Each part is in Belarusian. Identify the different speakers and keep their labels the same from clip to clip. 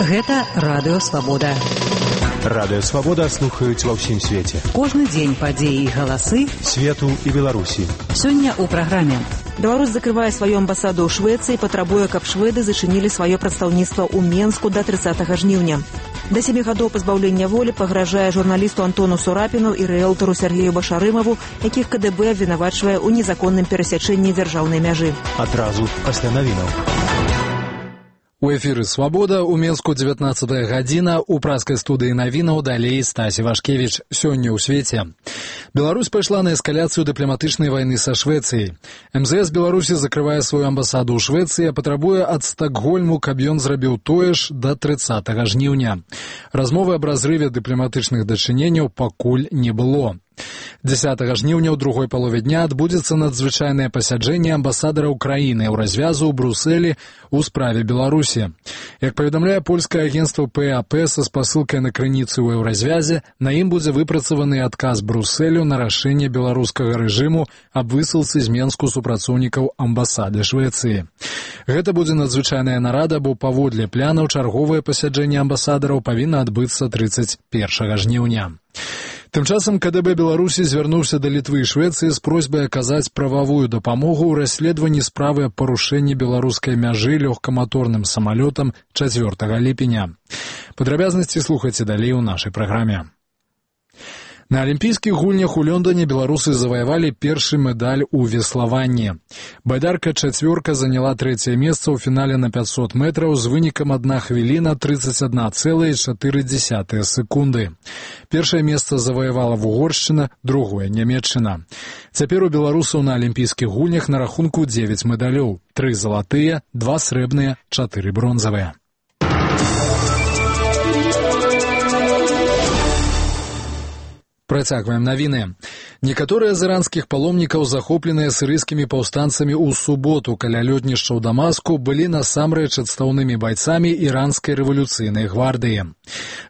Speaker 1: Гэта Радыё Свабода.
Speaker 2: Радыё Свабода слухаюць ва ўсім свеце.
Speaker 1: Кожны дзень падзеі і галасы
Speaker 2: свету і Беларусі.
Speaker 1: Сёння ў праграме.
Speaker 3: Беларусь закрывае сваю амбасаду ў Швецыі, патрабуе, каб шведы зачынілі сваё прадстаўніцтва ў Менску да 30 жніўня. Да 7 гадоў пазбаўлення волі пагражае журналісту Антону Сурапіну і рыэлтару Сергею Башарымаву, якіх КДБ абвінавачвае ў незаконным перасячэнні дзяржаўнай мяжы.
Speaker 2: Адразу пасля навінаў.
Speaker 4: У эфіры «Свабода» у Менску 19 гадзіна, у праскай студыі навінаў далей Стасі Вашкевіч. Сёння ў свеце. Беларусь пайшла на эскаляцыю дыпламатычнай вайны са Швецыяй. МЗС Беларусі закрывае сваю амбасаду ў Швецыі, а патрабуе ад Стакгольму, каб ён зрабіў тое ж да 30 жніўня. Размовы аб разрыве дыпламатычных дачыненняў пакуль не было. 10 жніўня ў другой палове дня адбудзецца надзвычайнае пасяджэнне амбасадара Украіны ў развязу ў Брусэлі ў справе Беларусі. Як паведамляе польскае агенцтва ПАП са спасылкай на крыніцы ў еўразвязе, на ім будзе выпрацаваны адказ Брусэлю на рашэнне беларускага рэжыму аб высылцы з Менску супрацоўнікаў амбасады Швецыі. Гэта будзе надзвычайная нарада, бо паводле планаў чарговае пасяджэнне амбасадараў павінна адбыцца 31 жніўня. Тым часам КДБ Беларусі звярнуўся да Літвы і Швецыі з просьбай аказаць прававую дапамогу ў расследаванні справы аб парушэнні беларускай мяжы лёгкаматорным самалётам 4 ліпеня. Падрабязнасці слухайце далей у нашай праграме. На алімпійскіх гульнях у Лондоне беларусы заваявалі першы медаль у веславанні. Байдарка-4 заняла 3-е месца ў фінале на 500 метраў з вынікам 1 хвіліна 31,4 секунды. Першае месца заваявала Угоршчына, другое – Нямецчына. Цяпер у беларусаў на алімпійскіх гульнях на рахунку 9 медалёў. 3 залатыя, 2 срэбныя, 4 бронзавыя. Працягваем навіны. Некаторыя з іранскіх паломнікаў, захопленыя сірыйскімі паўстанцамі ў суботу каля лётнішча ў Дамаску, былі насамрэч адстаўнымі байцамі іранскай рэвалюцыйнай гвардыі.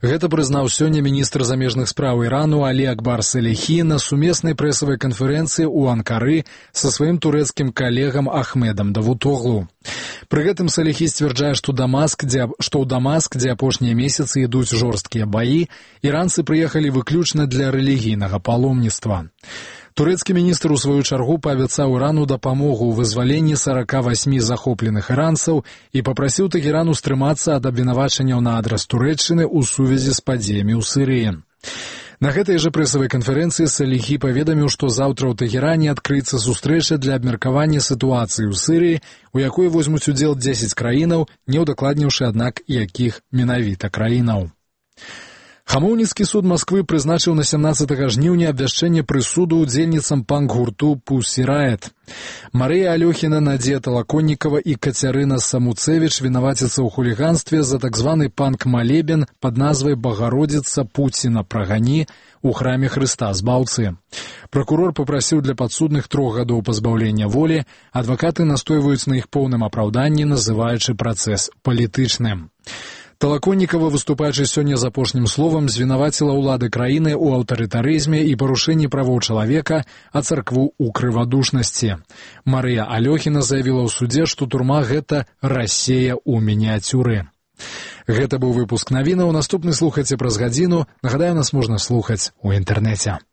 Speaker 4: Гэта прызнаў сёння міністр замежных спраў Ірану Алі Акбар Салехі на сумеснай прэсавай канферэнцыі ў Анкары са сваім турэцкім калегам Ахмедам Давутоглу. Пры гэтым Салехі сцвярджае, што ў Дамаск, дзе апошнія месяцы ідуць жорсткія баі, іранцы прыехалі выключна для рэлігійнага паломніцтва. Турэцкі міністр у сваю чаргу паабяцаў Ірану дапамогу ў вызваленні 48 захопленых іранцаў і папрасіў Тэхерану стрымацца ад абвінавачанняў на адрас Турэччыны ў сувязі з падзеямі ў Сірыі. На гэтай жа прэсавай канферэнцыі Салехі паведаміў, што заўтра ў Тэхеране адкрыецца сустрэча для абмеркавання сітуацыі ў Сірыі, у якой возьмуць удзел 10 краінаў, не ўдакладніўшы, аднак, якіх менавіта краінаў. Хамоўніцкі суд Масквы прызначыў на 17 жніўня абвяшчэнне прысуду ўдзельніцам панк-гурту «Пусі Райэт». Марыя Алёхіна, Надзея Талаконнікава і Кацярына Самуцевіч вінаваціцца ў хуліганстве за так званы панк-малебен пад назвай «Багародзіца Пуціна прагані» у храме Хрыста Збаўцы. Пракурор папрасіў для падсудных 3 гадоў пазбаўлення волі, адвакаты настойваюць на іх поўным апраўданні, называючы працэс палітычным. Талаконнікава, выступаючы сёння з апошнім словам, звінаваціла ўлады краіны ў аўтарытарызме і парушэнні правоў чалавека, а царкву ў крывадушнасці. Марыя Алёхіна заявіла ў судзе, што турма – гэта Расія ў мініяцюры. Гэта быў выпуск навінаў. Наступны слухайце праз гадзіну. Нагадаю, нас можна слухаць у інтэрнэце.